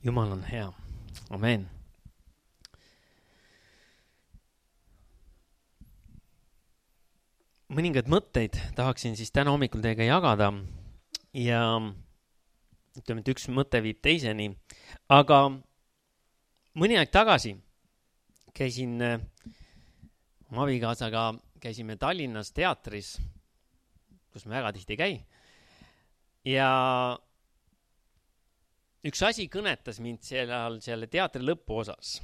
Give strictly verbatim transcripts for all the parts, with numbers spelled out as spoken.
Jumal on hea. Amen. Mõningad mõtteid tahaksin siis täna hommikul teiega jagada ja ütleme, et üks mõte viib teiseni. Aga mõni aeg tagasi käisin oma abikaasaga, käisime Tallinnas teatris, kus me väga tihti käi. Ja üks asi kõnetas mind seal, selle teatri lõpuosas.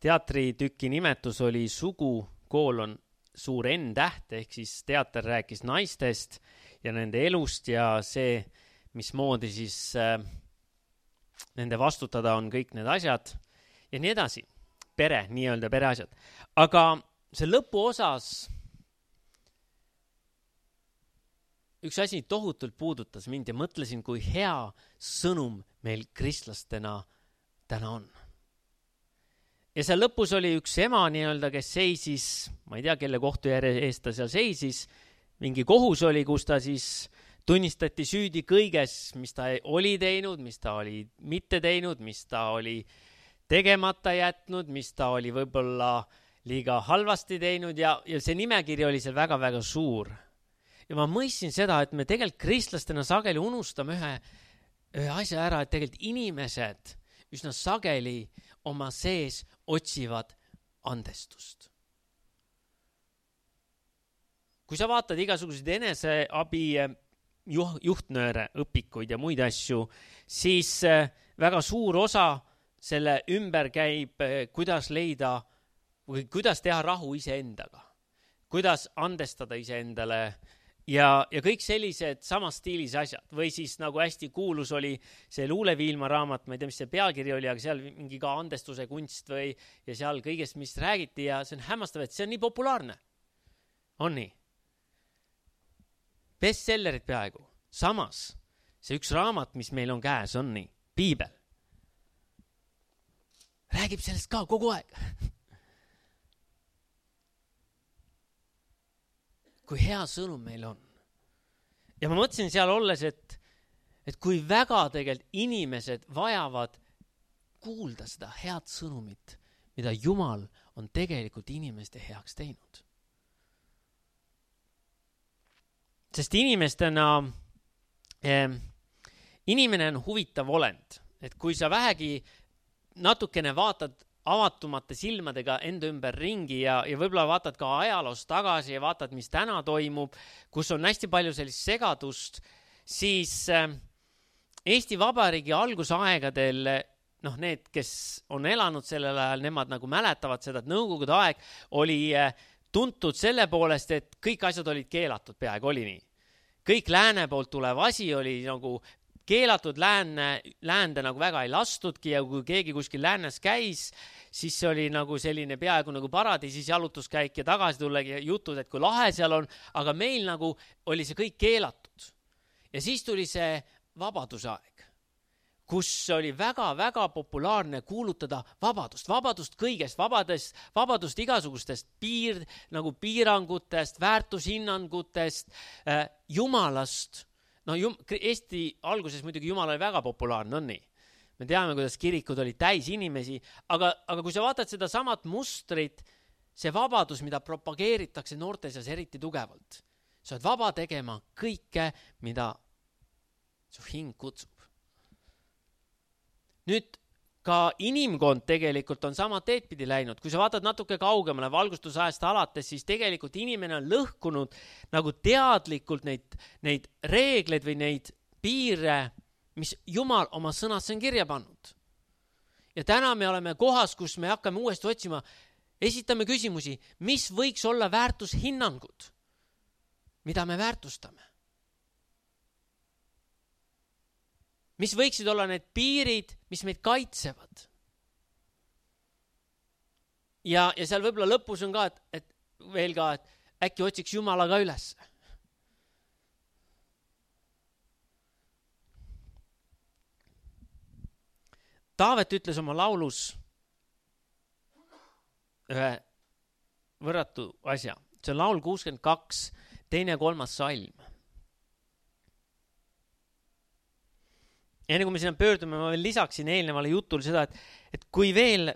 Teatritüki nimetus oli Sugu koolon suur N-täht, ehk siis teater rääkis naistest ja nende elust ja see, mismoodi siis äh, nende vastutada on kõik need asjad ja nii edasi. Pere, nii-öelda pereasjad. Aga see lõpuosas üks asi tohutult puudutas mind ja mõtlesin, kui hea sõnum meil kristlastena täna on. Ja seal lõpus oli üks ema nii-öelda, kes seisis, ma ei tea, kelle kohtu eest ta seal seisis, mingi kohus oli, kus ta siis tunnistati süüdi kõiges, mis ta oli teinud, mis ta oli mitte teinud, mis ta oli tegemata jätnud, mis ta oli võib-olla liiga halvasti teinud ja, ja see nimekiri oli seal väga-väga suur. Ja ma mõistsin seda, et me tegelikult kristlastena sageli unustame ühe, ühe asja ära, et tegelikult inimesed üsna sageli oma sees otsivad andestust. Kui sa vaatad igasuguseid eneseabi juhtnööre, õpikuid ja muid asju, siis väga suur osa selle ümber käib, kuidas leida või kuidas teha rahu iseendaga, kuidas andestada iseendale ja, ja kõik sellised samas stiilis asjad. Või siis nagu hästi kuulus oli see Luuleviilma raamat, ma ei tea, mis see pealkiri oli, aga seal mingi ka andestuse kunst või ja seal kõigest, mis räägiti ja see on hämmastav, et see on nii populaarne. On nii? Bestsellerid peaaegu. Samas, see üks raamat, mis meil on käes, on nii. Piibel. Räägib sellest ka kogu aeg. Kui hea sõnum meil on. Ja ma mõtlesin seal olles, et, et kui väga tegelikult inimesed vajavad kuulda seda head sõnumit, mida Jumal on tegelikult inimeste heaks teinud. Sest inimestena, eh, inimene on huvitav olend, et kui sa vähegi natukene vaatad avatumate silmadega enda ümber ringi ja, ja võib-olla vaatad ka ajaloos tagasi ja vaatad, mis täna toimub, kus on hästi palju sellist segadust, siis äh, Eesti Vabariigi algusaegadel, noh need, kes on elanud sellel ajal, nemad nagu mäletavad seda, et Nõukogude aeg oli äh, tuntud selle poolest, et kõik asjad olid keelatud, peaaegu oli nii. Kõik lääne poolt tulev asi oli nagu keelatud, läände, läände nagu väga ei lastudki ja kui keegi kuskil läänes käis, siis see oli nagu selline peaaegu nagu paradiisis jalutuskäik ja tagasi tullegi jutud, et kui lahe seal on, aga meil nagu oli see kõik keelatud. Ja siis tuli see vabadusaeg, kus oli väga-väga populaarne kuulutada vabadust, vabadust kõigest, vabadest, vabadust igasugustest piir, nagu piirangutest, väärtushinnangutest, äh, Jumalast. No Eesti alguses muidugi Jumal oli väga populaarne, on nii. Me teame, kuidas kirikud olid täis inimesi, aga, aga kui sa vaatad seda samat mustrit, see vabadus, mida propageeritakse noorte seas eriti tugevalt. Sa oled vaba tegema kõike, mida su hing kutsub. Nüüd ka inimkond tegelikult on sama teedpidi läinud. Kui sa vaatad natuke kaugemale valgustusajast alates, siis tegelikult inimene on lõhkunud nagu teadlikult neid, neid reegleid või neid piire, mis Jumal oma sõnas on kirja pannud. Ja täna me oleme kohas, kus me hakkame uuesti otsima, esitame küsimusi, mis võiks olla väärtushinnangud, mida me väärtustame. Mis võiksid olla need piirid, mis meid kaitsevad. Ja, ja seal võib-olla lõpus on ka, et, et veel ka, et äkki otsiks Jumala ka üles. Taavet ütles oma laulus ühe võrratu asja. See on laul kuuskümmend kaks, teine kolmas salm. enne kui me sinna pöördume, ma veel lisaksin eelnevale jutul seda, et, et kui veel,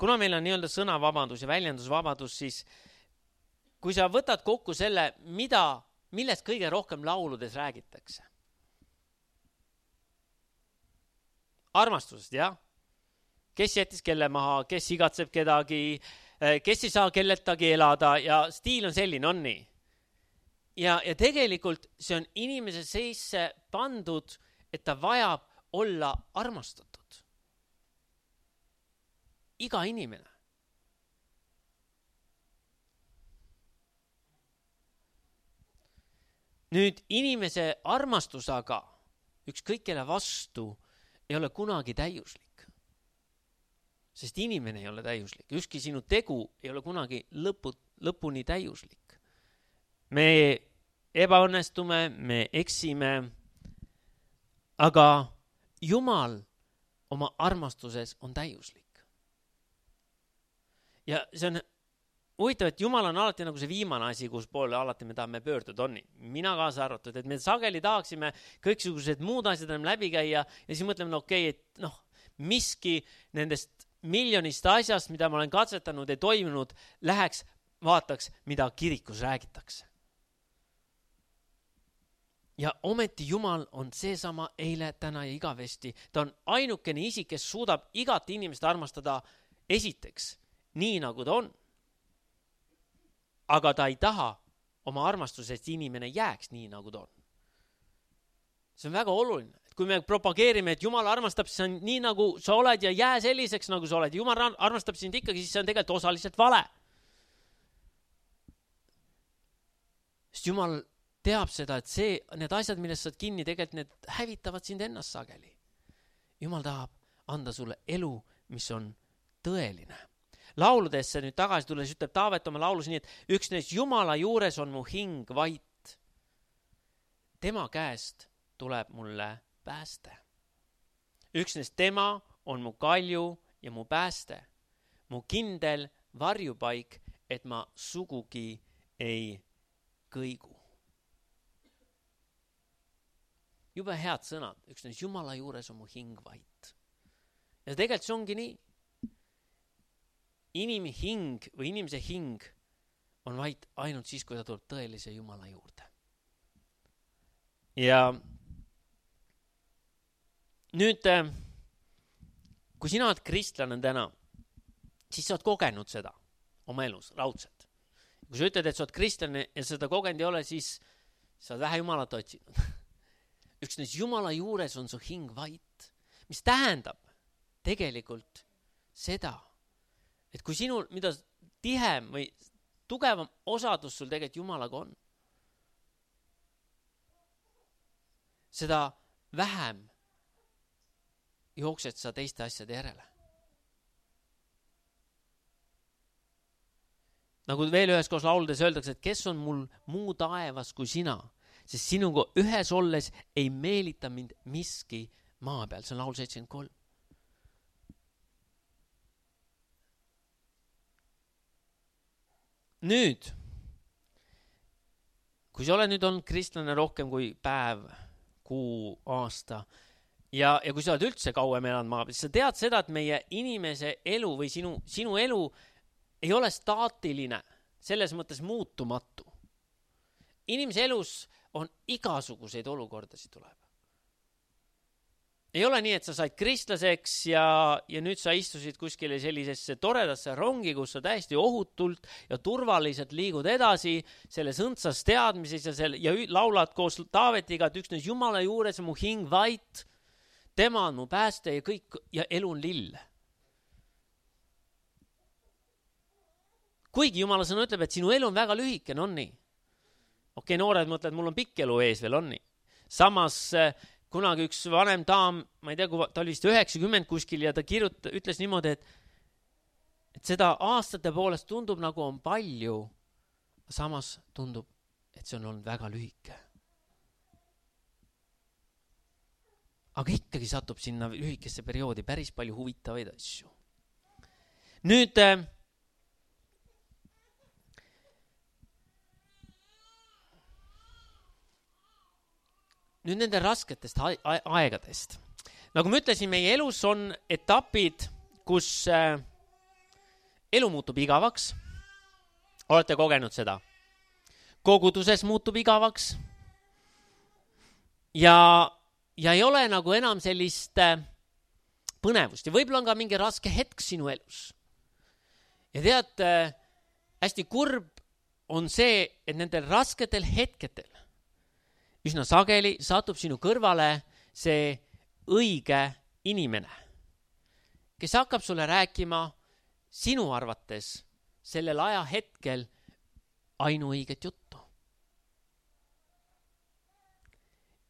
kuna meil on nii-öelda sõnavabadus ja väljendusvabadus, siis kui sa võtad kokku selle, mida, millest kõige rohkem lauludes räägitakse. Armastusest, jah? Kes jättis kelle maha, kes igatseb kedagi, kes ei saa kelletagi elada ja stiil on selline, on nii. Ja, ja tegelikult see on inimese seisse pandud, et ta vajab olla armastatud. Iga inimene. Nüüd inimese armastus aga ükskõik kelle vastu ei ole kunagi täiuslik. Sest inimene ei ole täiuslik. Ükski sinu tegu ei ole kunagi lõpu, lõpuni täiuslik. Me ebaõnnestume, me eksime, aga Jumal oma armastuses on täiuslik. Ja see on huvitav, et Jumal on alati nagu see viimane asi, kus poole alati me tahame pöörduda, on nii. Mina kaasa arvatud, et me sageli tahaksime kõiksugused muud asjad läbi käia ja siis mõtleme, no okei, okay, et noh, miski nendest miljonist asjast, mida ma olen katsetanud ja toimunud, läheks, vaataks, mida kirikus räägitakse. Ja ometi Jumal on seesama eile, täna ja igavesti. Ta on ainukene isik, kes suudab igat inimest armastada esiteks, nii nagu ta on. Aga ta ei taha oma armastusest inimene jääks nii, nagu ta on. See on väga oluline. Kui me propageerime, et Jumal armastab sind nii, nagu sa oled ja jää selliseks, nagu sa oled. Jumal armastab sind ikkagi, siis see on tegelikult osaliselt vale. Sest Jumal teab seda, et see, need asjad, millest saad kinni, tegelikult need hävitavad sind ennast sageli. Jumal tahab anda sulle elu, mis on tõeline. Lauludesse nüüd tagasi tulles ütleb Taavet oma laulus nii, et üksnes Jumala juures on mu hing vait. Tema käest tuleb mulle pääste. Üksnes tema on mu kalju ja mu pääste. Mu kindel varjupaik, et ma sugugi ei kõigu. Jube head sõnad. Üksnes Jumala juures on mu hing vait. Ja tegelikult see ongi nii. Inimi hing või inimese hing on vaid ainult siis, kui ta tuleb tõelise Jumala juurde. Ja nüüd, kui sina oled kristlane täna, siis sa oled kogenud seda oma elus, raudselt. Kui sa ütled, et sa oled kristlane ja seda kogenud ei ole, siis sa oled vähe Jumalat otsinud. Üksnes Jumala juures on su hing vait, mis tähendab tegelikult seda, et kui sinul, mida tihem või tugevam osadus sul tegelikult Jumalaga on, seda vähem jooksed sa teiste asjade järele. Nagu veel ühes koos lauludes öeldakse, et kes on mul muu taevas kui sina, sest sinuga ühes olles ei meelita mind miski maa peal. See on laul seitsekümmend kolm. Nüüd, kui sa oled nüüd olnud kristlane rohkem kui päev, kuu, aasta ja, ja kui sa oled üldse kauem elanud maa peal, siis sa tead seda, et meie inimese elu või sinu, sinu elu ei ole staatiline, selles mõttes muutumatu. Inimese elus on igasuguseid olukordasid tuleb. Ei ole nii, et sa said kristlaseks ja, ja nüüd sa istusid kuskile sellisesse toredasse rongi, kus sa täiesti ohutult ja turvaliselt liigud edasi selles õndsas teadmises ja, selle, ja laulad koos Taavetiga, et üksnes Jumala juures on mu hing vait, tema on mu pääste ja kõik ja elu on lill. Kuigi Jumala sõna ütleb, et sinu elu on väga lühike, on nii. Okei, noored mõtled, mul on pikk elu ees veel, on nii. Samas kunagi üks vanem daam, ma ei tea, kui ta oli vist üheksakümmend kuskil ja ta kirjuta, ütles niimoodi, et, et seda aastate poolest tundub nagu on palju, samas tundub, et see on olnud väga lühike. Aga ikkagi satub sinna lühikesse perioodi päris palju huvitavaid asju. Nüüd nüüd nende rasketest aegadest. Nagu ma ütlesin, meie elus on etapid, kus äh, elu muutub igavaks. Olete kogenud seda? Koguduses muutub igavaks. Ja, ja ei ole nagu enam sellist äh, põnevust. Ja võib-olla on ka mingi raske hetk sinu elus. Ja tead, äh, hästi kurb on see, et nendel rasketel hetketel üsna sageli satub sinu kõrvale see õige inimene, kes hakkab sulle rääkima sinu arvates sellel ajahetkel ainuõiget juttu.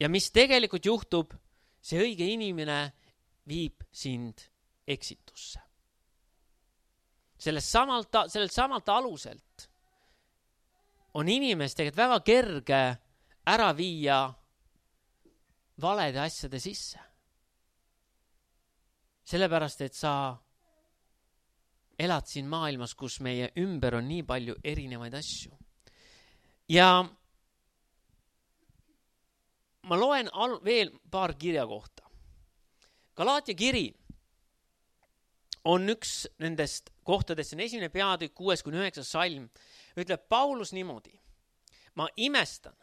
Ja mis tegelikult juhtub, see õige inimene viib sind eksitusse. Sellest samalt, sellelt samalt aluselt on inimest tegelikult väga kerge ära viia valede asjade sisse. Sellepärast, et sa elad siin maailmas, kus meie ümber on nii palju erinevaid asju. Ja ma loen al- veel paar kirja kohta. Galaatia kiri on üks nendest kohtadest, see on esimene peatükk, kuues kuni üheksas salm. Ütleb Paulus niimoodi: ma imestan,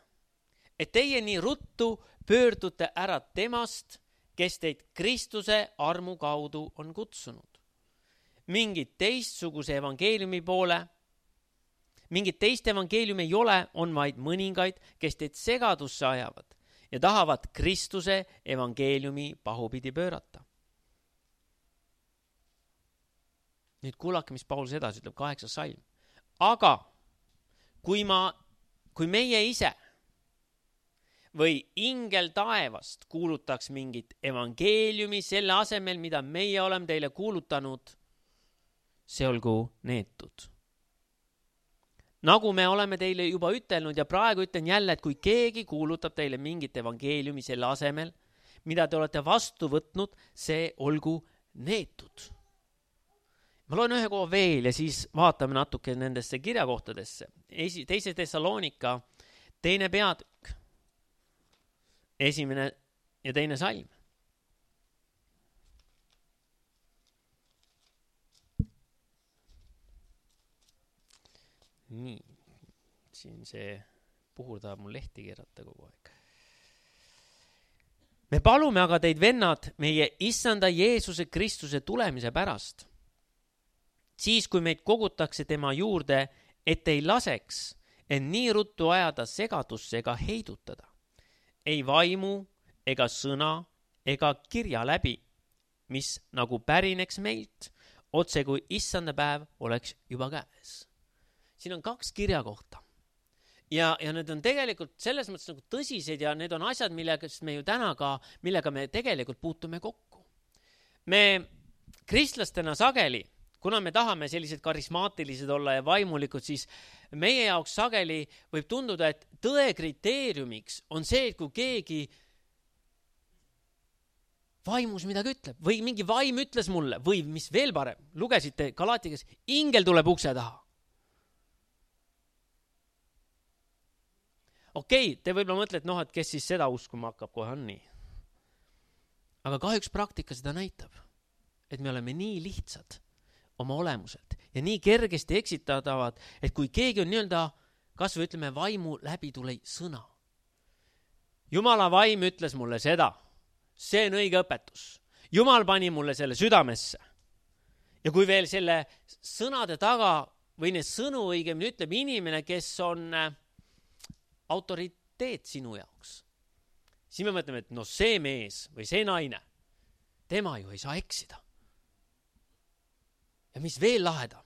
et teie nii ruttu pöördute ära temast, kes teid Kristuse armu kaudu on kutsunud. Mingit teistsuguse evangeeliumi poole, mingit teist evangeeliumi ei ole, on vaid mõningaid, kes teid segadusse ajavad ja tahavad Kristuse evangeeliumi pahupidi pöörata. Nüüd kuulake, mis Paulus edasi ütleb, kaheksas salm. Aga kui ma, kui meie ise või ingel taevast kuulutaks mingit evangeeliumi selle asemel, mida meie oleme teile kuulutanud, see olgu neetud. Nagu me oleme teile juba ütelnud ja praegu ütlen jälle, et kui keegi kuulutab teile mingit evangeeliumi selle asemel, mida te olete vastu võtnud, see olgu neetud. Ma loen ühe koha veel ja siis vaatame natuke nendesse kirjakohtadesse. Esi, teise Thessalonika, teine peatükk. Esimene ja teine salm. Nii, siin see puhur tahab mul lehti keerata kogu aeg. Me palume aga teid, vennad, meie issanda Jeesuse Kristuse tulemise pärast. Siis, kui meid kogutakse tema juurde, et ei laseks en nii ruttu ajada segadusse ega heidutada. Ei vaimu ega sõna ega kirja läbi, mis nagu pärineks meilt, otse kui issanda päev oleks juba käes. Siin on kaks kirjakohta. Ja, ja need on tegelikult selles mõttes nagu tõsised ja need on asjad, millega me ju täna ka, millega me tegelikult puutume kokku. Me kristlastena sageli, kuna me tahame sellised karismaatilised olla ja vaimulikud, siis meie jaoks sageli võib tunduda, et tõe kriteeriumiks on see, et kui keegi vaimus midagi ütleb või mingi vaim ütles mulle või mis veel parem, lugesite Galaatias, ingel tuleb ukse taha. Okei, okay, te võib-olla mõtlete, noh, et kes siis seda uskuma hakkab, kohe on nii. Aga kahjuks praktika seda näitab, et me oleme nii lihtsad oma olemuselt ja nii kergesti eksitatavad, et kui keegi on nii-öelda, kas või ütleme vaimu läbi tuli sõna. Jumala vaim ütles mulle seda, see on õige õpetus. Jumal pani mulle selle südamesse. Ja kui veel selle sõnade taga või need sõnu õigemini ütleb inimene, kes on autoriteet sinu jaoks, siis me mõtleme, et no see mees või see naine, tema ju ei saa eksida. Ja mis veel lahedam?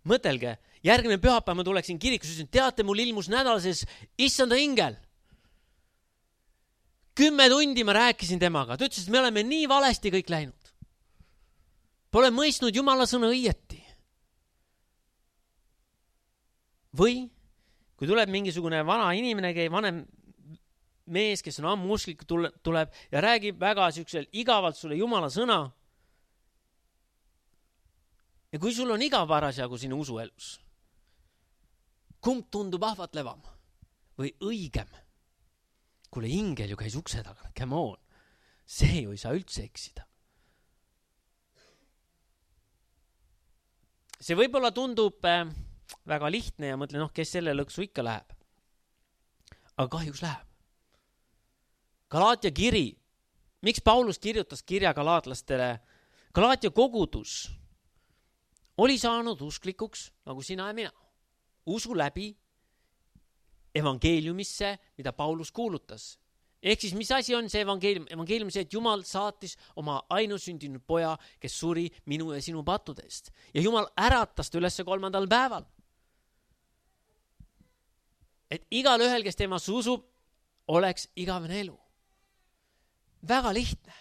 Mõtelge, järgmine pühapäev ma tuleksin kirikus, ütlesin, teate, mul ilmus nädalases issanda ingel. Kümme tundi ma rääkisin temaga. Ta ütles, et me oleme nii valesti kõik läinud. Pole mõistnud Jumala sõna õieti. Või kui tuleb mingisugune vana inimene, vanem mees, kes on ammu usklik, tuleb ja räägib väga siuksel igavalt sulle Jumala sõna. Ja kui sul on igav parasjagu sinu usuelus, kumb tundub ahvatlevam või õigem? kuule, ingel ju käis ukse taga, come on. See ju ei saa üldse eksida. See võib-olla tundub äh, väga lihtne ja mõtlen, noh, kes selle lõksu ikka läheb. Aga kahjuks läheb. Galaatia kiri. Miks Paulus kirjutas kirja galaatlastele? Galaatia kogudus oli saanud usklikuks, nagu sina ja mina. Usu läbi evangeeliumisse, mida Paulus kuulutas. Ehk siis, mis asi on see evangeelium? Evangeelium see, et Jumal saatis oma ainusündinud poja, kes suri minu ja sinu pattudest. Ja Jumal äratas ta ülesse kolmandal päeval. Et igal ühel, kes temas usub, oleks igavene elu. Väga lihtne.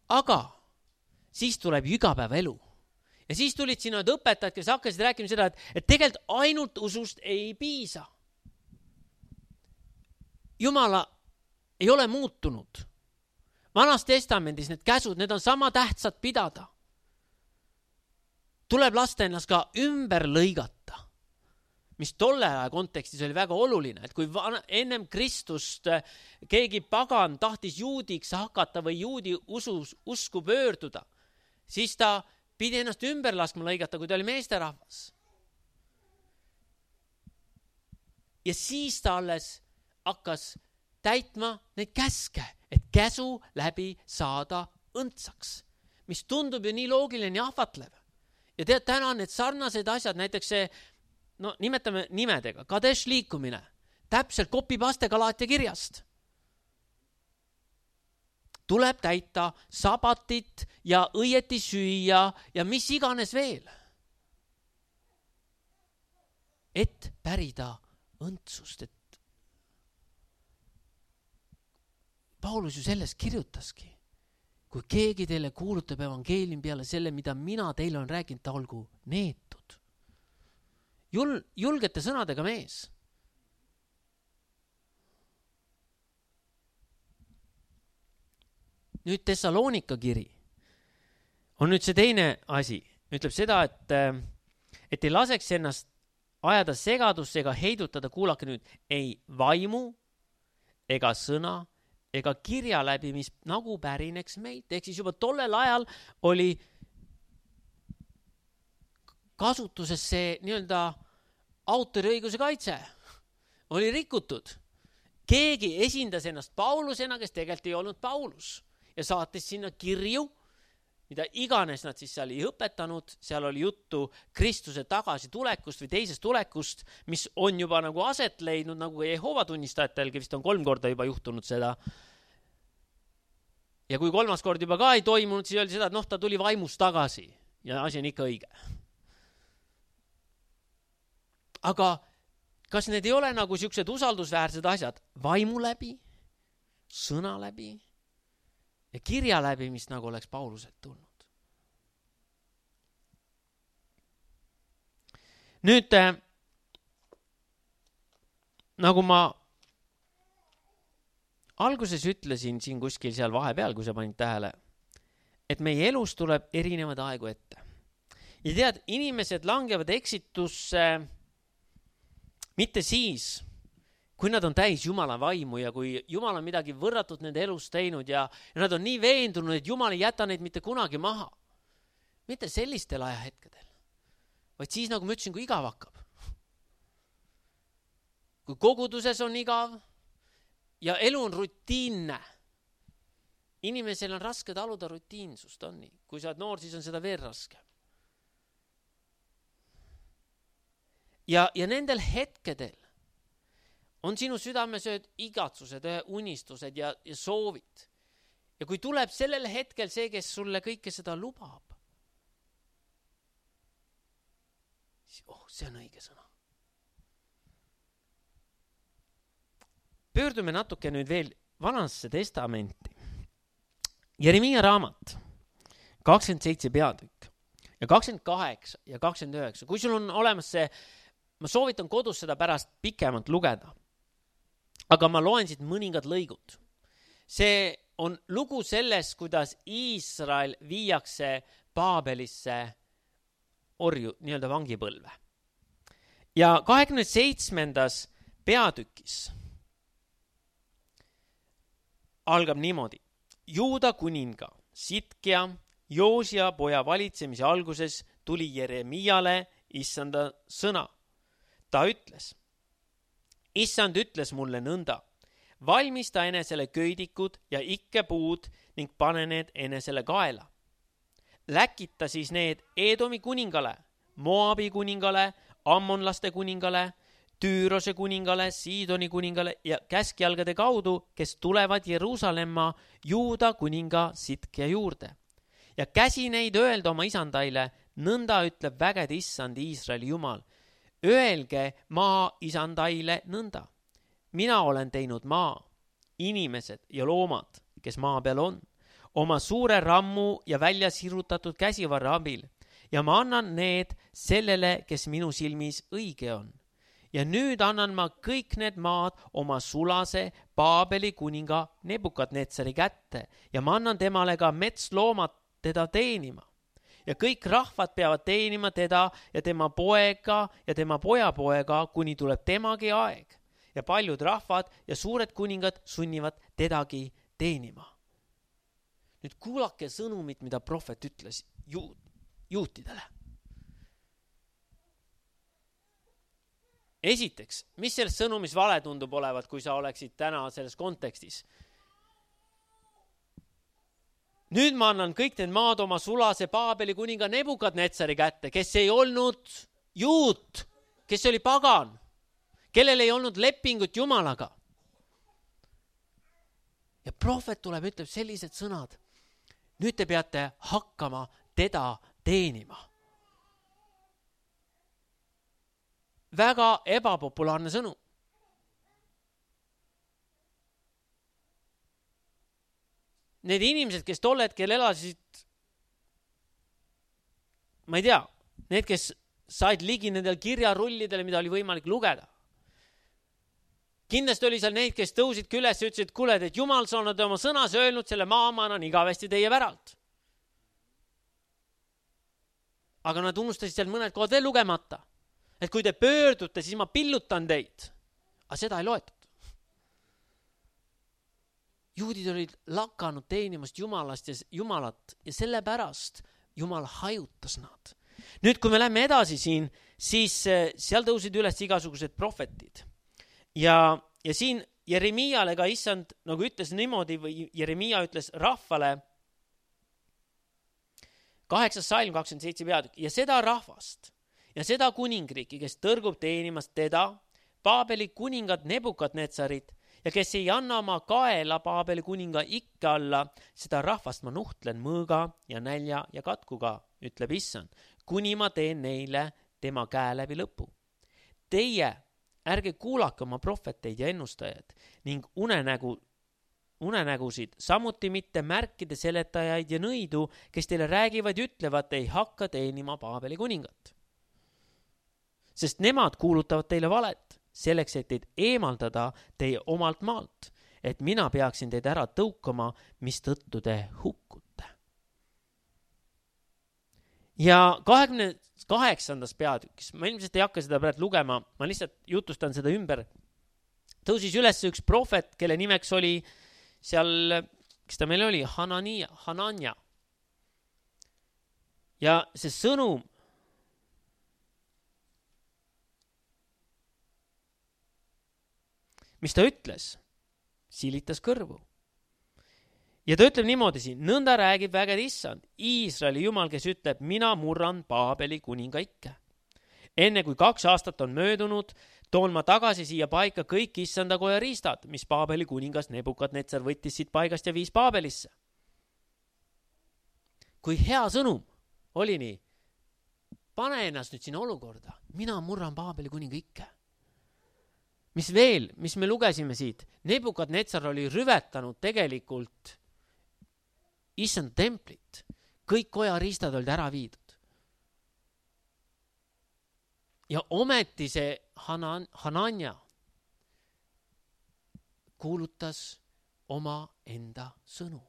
Aga siis tuleb ju igapäeva elu. Ja siis tulid sinna õpetajad, kes hakkasid rääkima seda, et, et tegelikult ainult usust ei piisa. Jumala ei ole muutunud. Vanas testamendis need käsud, need on sama tähtsad pidada. Tuleb lasta ennast ka ümber lõigata, mis tolle aja kontekstis oli väga oluline, et kui vana, ennem Kristust keegi pagan tahtis juudiks hakata või juudi usus, usku pöörduda, siis ta pidi ennast ümber laskma lõigata, kui ta oli meesterahvas. Ja siis ta alles hakkas täitma neid käske, et käsu läbi saada õndsaks, mis tundub ju nii loogiline ja ahvatlev. Ja tead, täna on need sarnased asjad, näiteks see, no nimetame nimedega, Kadesh liikumine, täpselt kopipaste Galaatia kirjast. Tuleb täita sabatit ja õieti süüa ja mis iganes veel. Et pärida õndsust, et Paulus ju sellest kirjutaski. Kui keegi teile kuulutab evangeelium peale selle, mida mina teile on rääkinud, ta olgu neetud. Jul, julgete sõnadega mees. Nüüd Tessaloonika kiri on nüüd see teine asi. Ütleb seda, et, et ei laseks ennast ajada segadusse ega heidutada, kuulake nüüd, ei vaimu ega sõna ega kirja läbi, mis nagu pärineks meid. Ehk siis juba tollel ajal oli kasutuses see nii-öelda autoriõiguse kaitse. Oli rikutud. Keegi esindas ennast Paulusena, kes tegelikult ei olnud Paulus. Ja saatis sinna kirju, mida iganes nad siis seal ei õpetanud. Seal oli juttu Kristuse tagasi tulekust või teisest tulekust, mis on juba nagu aset leidnud, nagu Jehoova tunnistajatelgi vist on kolm korda juba juhtunud seda. Ja kui kolmas kord juba ka ei toimunud, siis öeldi seda, et noh, ta tuli vaimust tagasi ja asi on ikka õige. Aga kas need ei ole nagu siuksed usaldusväärsed asjad vaimu läbi, sõna läbi ja kirja läbi, mis nagu oleks Pauluselt tulnud? Nüüd, äh, nagu ma alguses ütlesin siin kuskil seal vahepeal, kui sa panid tähele, et meie elus tuleb erinevad aegu ette. Ja tead, inimesed langevad eksitusse mitte siis, kui nad on täis Jumala vaimu ja kui Jumal on midagi võrratut nende elus teinud ja, ja nad on nii veendunud, et Jumal ei jäta neid mitte kunagi maha. Mitte sellistel ajahetkedel, vaid siis, nagu ma ütlesin, kui igav hakkab. Kui koguduses on igav ja elu on rutiinne. Inimesel on raske taluda rutiinsust, on nii. Kui sa oled noor, siis on seda veel raske. Ja, ja nendel hetkedel on sinu südames ühed igatsused, ühe unistused ja, ja soovid. Ja kui tuleb sellel hetkel see, kes sulle kõike seda lubab, siis oh, see on õige sõna. Pöördume natuke nüüd veel Vanasse testamenti. Jeremiia raamat, kakskümmend seitse peatükk ja kakskümmend kaheksa ja kakskümmend üheksa. Kui sul on olemas see, ma soovitan kodus seda pärast pikemalt lugeda. Aga ma loen siit mõningad lõigud. See on lugu sellest, kuidas Iisrael viiakse Paabelisse orju, nii-öelda vangipõlve. Ja kahekümne seitsmendas peatükis algab niimoodi. Juuda kuninga Sitkia Joosia poja valitsemise alguses tuli Jeremiale issanda sõna. Ta ütles, issand ütles mulle nõnda, valmista enesele köidikud ja ikkepuud ning pane need enesele kaela. Läkita siis need Edomi kuningale, Moabi kuningale, Ammonlaste kuningale, Tüürose kuningale, Siidoni kuningale ja käskjalgade kaudu, kes tulevad Jeruusalemma Juuda kuninga Sitkia juurde. Ja käsi neid öelda oma isandaile, nõnda ütleb vägede issand Iisraeli jumal. Öelge maa isandaile nõnda. Mina olen teinud maa, inimesed ja loomad, kes maa peal on, oma suure rammu ja välja sirutatud käsivarra abil ja ma annan need sellele, kes minu silmis õige on. Ja nüüd annan ma kõik need maad oma sulase Paabeli kuninga Nebukadnetsari kätte ja ma annan temale ka metsloomad teda teenima. Ja kõik rahvad peavad teenima teda ja tema poega ja tema pojapoega, kuni tuleb temagi aeg. Ja paljud rahvad ja suured kuningad sunnivad tedagi teenima. Nüüd kuulake sõnumit, mida prohvet ütles juut, juutidele. Esiteks, mis selles sõnumis vale tundub olevat, kui sa oleksid täna selles kontekstis? Nüüd ma annan kõik need maad oma sulase Paabeli kuninga Nebukadnetsari kätte, kes ei olnud juut, kes oli pagan, kellel ei olnud lepingut Jumalaga. Ja prohvet tuleb, ütleb sellised sõnad. Nüüd te peate hakkama teda teenima. Väga ebapopulaarne sõnum. Need inimesed, kes tol hetkel elasid, ma ei tea, need, kes said ligi nendel kirjarullidele, mida oli võimalik lugeda. Kindlasti oli seal neid, kes tõusid üles ja ütlesid, kuule, et Jumal sa oled oma sõnas öelnud, selle maa ma annan igavesti teie päralt. Aga nad unustasid seal mõned kohad veel lugemata. Et kui te pöördute, siis ma pillutan teid. Aga seda ei loetud. Juudid olid lakanud teenimast Jumalast ja Jumalat ja sellepärast Jumal hajutas nad. Nüüd, kui me läheme edasi siin, siis seal tõusid üles igasugused prohvetid. Ja, ja siin Jeremiale ka issand, nagu ütles niimoodi, või Jeremia ütles rahvale, kaheksas salm kakskümmend seitse peatükk, ja seda rahvast ja seda kuningriiki, kes tõrgub teenimast teda, Paabeli kuningat Nebukadnetsarit, ja kes ei anna oma kaela Paabeli kuninga ikke alla, seda rahvast ma nuhtlen mõõga ja nälja ja katkuga, ütleb issand, kuni ma teen neile tema käe läbi lõpu. Teie ärge kuulake oma prohveteid ja ennustajad ning unenägu, unenägusid, samuti mitte märkide seletajaid ja nõidu, kes teile räägivad ja ütlevad, ei hakka teenima Paabeli kuningat. Sest nemad kuulutavad teile valet, selleks, et teid eemaldada teie omalt maalt, et mina peaksin teid ära tõukama, mis tõttu te hukkute. Ja kahekümne kaheksandas peatükis, ma ilmselt ei hakka seda praegu lugema, ma lihtsalt jutustan seda ümber, tõusis üles üks prohvet, kelle nimeks oli seal, kes ta meil oli, Hanania, Hanania. Ja see sõnum, mis ta ütles, silitas kõrvu. Ja ta ütleb niimoodi siin, nõnda räägib vägede issand, Iisraeli jumal, kes ütleb, mina murran Paabeli kuninga ikke. Enne kui kaks aastat on möödunud, toon ma tagasi siia paika kõik issanda koja riistad, mis Paabeli kuningas Nebukadnetsar võttis siit paigast ja viis Paabelisse. Kui hea sõnum oli nii, pane ennast nüüd sinna olukorda, mina murran Paabeli kuninga ikke. Mis veel, mis me lugesime siit, Nebukadnetsar oli rüvetanud tegelikult issand templit. Kõik koja riistad olid ära viidud. Ja ometi see Hanan, Hanania kuulutas oma enda sõnu.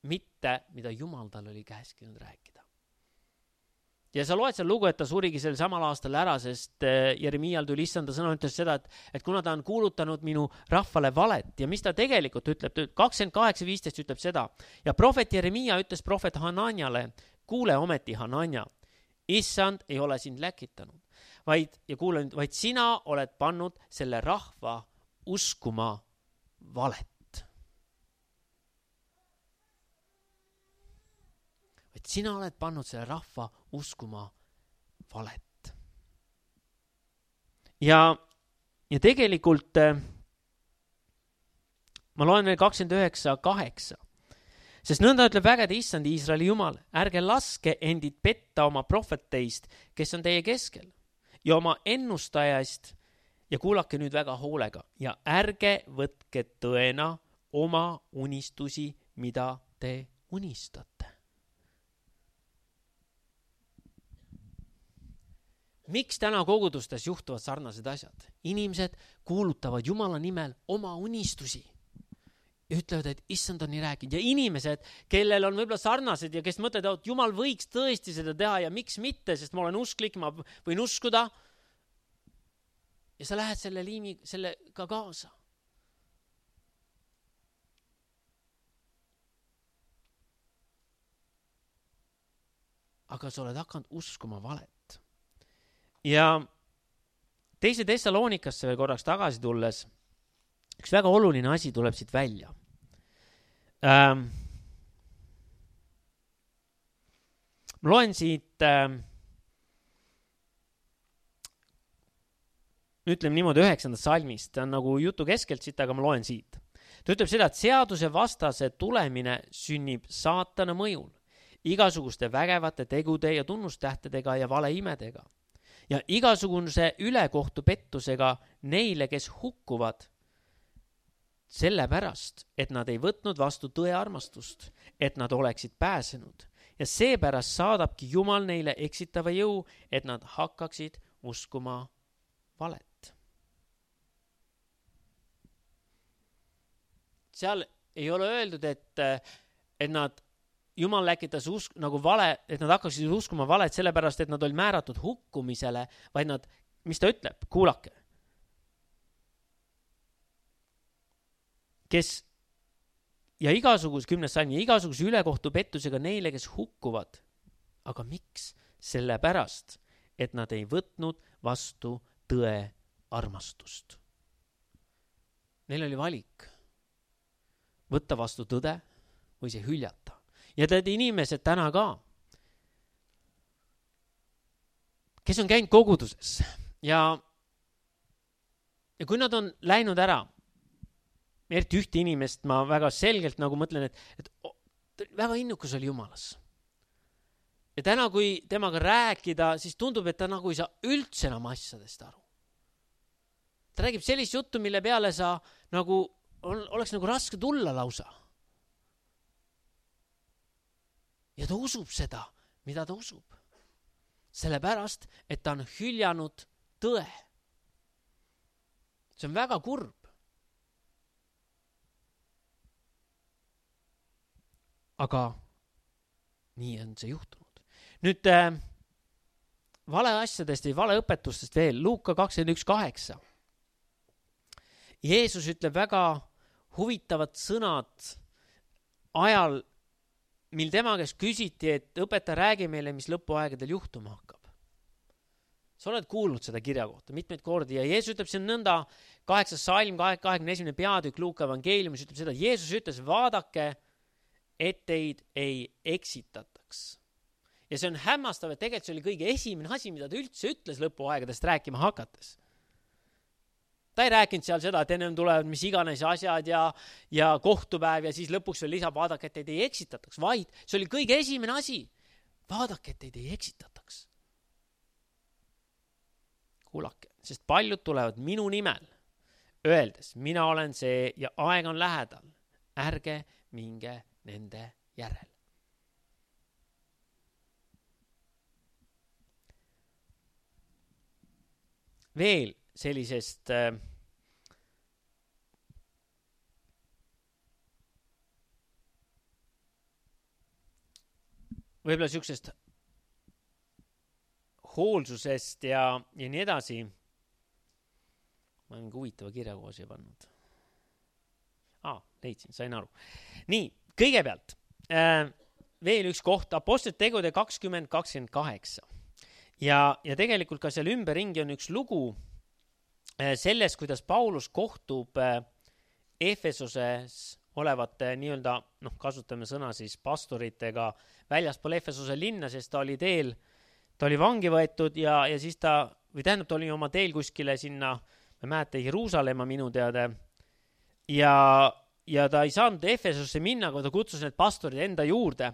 Mitte, mida Jumal tal oli käskinud rääkida. ja sa loed seal lugu, et ta surigi sel samal aastal ära, sest Jeremial tuli issanda sõna, ütles seda, et, et kuna ta on kuulutanud minu rahvale valet ja mis ta tegelikult ütleb, kakskümmend kaheksa viisteist ütleb seda ja prohvet Jeremia ütles prohvet Hananiale, kuule ometi Hanania, issand ei ole sind läkitanud, vaid, ja kuule nüüd, vaid sina oled pannud selle rahva uskuma valet. Et sina oled pannud selle rahva uskuma valet. Ja, ja tegelikult ma loen veel kakskümmend üheksa kaheksa. Sest nõnda ütleb vägede issand Iisraeli Jumal, ärge laske endid petta oma prohveteist, kes on teie keskel, ja oma ennustajast, ja kuulake nüüd väga hoolega, ja ärge võtke tõena oma unistusi, mida te unistate. Miks täna kogudustes juhtuvad sarnased asjad? Inimesed kuulutavad Jumala nimel oma unistusi ja ütlevad, et issand on nii rääkinud. Ja inimesed, kellel on võib-olla sarnased ja kes mõtlevad, et Jumal võiks tõesti seda teha ja miks mitte, sest ma olen usklik, ma võin uskuda. Ja sa lähed selle liimi, selle ka kaasa. Aga sa oled hakanud uskuma valet. Ja teise Thessalonikasse veel korraks tagasi tulles, üks väga oluline asi tuleb siit välja. Ähm, ma loen siit, ähm, ütleme niimoodi üheksandast salmist, ta on nagu jutu keskelt siit, aga ma loen siit. Ta ütleb seda, et seaduse vastase tulemine sünnib saatana mõjul, igasuguste vägevate tegude ja tunnustähtedega ja valeimedega. Ja igasuguse ülekohtu pettusega neile, kes hukkuvad sellepärast, et nad ei võtnud vastu tõe armastust, et nad oleksid pääsenud. Ja seepärast saadabki Jumal neile eksitava jõu, et nad hakkaksid uskuma valet. Seal ei ole öeldud, et, et nad Jumal läkitas usk, nagu vale, et nad hakkaksid uskuma valet sellepärast, et nad olid määratud hukkumisele, vaid nad, mis ta ütleb, kuulake. Kes ja igasugus, kümnes salm, ja igasuguse ülekohtu pettusega neile, kes hukkuvad. Aga miks? Sellepärast, et nad ei võtnud vastu tõe armastust. Neil oli valik võtta vastu tõde või see hüljata. Ja tead inimesed täna ka, kes on käinud koguduses ja, ja kui nad on läinud ära, eriti ühte inimest ma väga selgelt nagu mõtlen, et, et väga innukas oli Jumalas. Ja täna, kui temaga rääkida, siis tundub, et ta nagu ei saa üldse enam asjadest aru. Ta räägib sellist juttu, mille peale sa nagu, oleks nagu raske tulla lausa. Ja ta usub seda, mida ta usub. Sellepärast, et ta on hüljanud tõe. See on väga kurb. Aga nii on see juhtunud. Nüüd äh, vale asjadest või vale õpetustest veel. Luuka kakskümmend üks kaheksa. Jeesus ütleb väga huvitavad sõnad ajal, mil tema käest küsiti, et õpetaja räägi meile, mis lõpuaegadel juhtuma hakkab. Sa oled kuulnud seda kirja kohta mitmeid kordi ja Jeesus ütleb, see on nõnda kaheksas salm, kahekümne esimene peatükk Luuka evangeeliumis ütleb seda, Jeesus ütles, vaadake, et teid ei eksitataks. Ja see on hämmastav, et tegelikult see oli kõige esimene asi, mida ta üldse ütles lõpuaegadest rääkima hakates. Ta ei rääkinud seal seda, et ennem tulevad mis iganes asjad ja, ja kohtupäev ja siis lõpuks veel lisab, vaadake, et teid ei eksitataks, vaid see oli kõige esimene asi. Vaadake, et teid ei eksitataks. Kuulake, sest paljud tulevad minu nimel, öeldes, mina olen see ja aeg on lähedal. Ärge minge nende järel. Veel sellisest äh, võib-olla siuksest hoolsusest ja, ja nii edasi. Ma olen mingi huvitava kirja koos ja pannud. Aa, leidsin, sain aru. Nii, kõigepealt äh, veel üks koht, Apostlite tegude kakskümmend kakskümmend kaheksa. Ja, ja tegelikult ka seal ümberringi on üks lugu äh, sellest, kuidas Paulus kohtub äh, Efesoses olevate nii-öelda, noh, kasutame sõna siis pastoritega väljaspool Efesose linna, sest ta oli teel, ta oli vangi võetud ja, ja siis ta, või tähendab, ta oli oma teel kuskile sinna, ma mäeta, Jeruusalemma minu teada, ja, ja ta ei saanud Efesosse minna, kui ta kutsus need pastorid enda juurde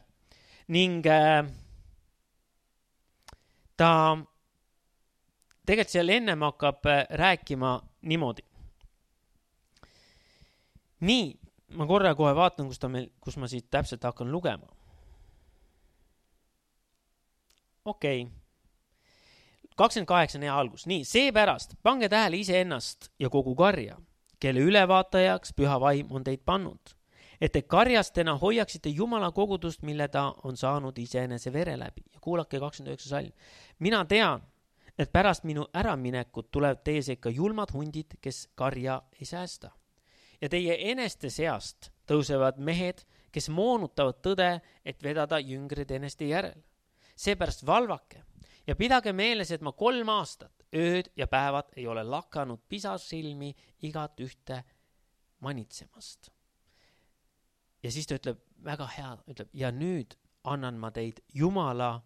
ning äh, ta tegelikult seal ennem hakkab äh, rääkima niimoodi. Nii, ma korra kohe vaatan, kus, ta meil, kus ma siit täpselt hakkan lugema. Okei. Okay. kakskümmend kaheksa on hea algus. Nii, seepärast pange tähele iseennast ja kogu karja, kelle ülevaatajaks püha vaim on teid pannud, et te karjastena hoiaksite Jumala kogudust, mille ta on saanud iseenese vere läbi. Ja kuulake kakskümmend üheksa salm. Mina tean, et pärast minu äraminekut tulevad teie sekka julmad hundid, kes karja ei säästa. Ja teie eneste seast tõusevad mehed, kes moonutavad tõde, et vedada jüngrid eneste järel. Seepärast valvake ja pidage meeles, et ma kolm aastat, ööd ja päevad ei ole lakanud pisarsilmi igat ühte manitsemast. Ja siis ta ütleb väga hea, ütleb, ja nüüd annan ma teid Jumala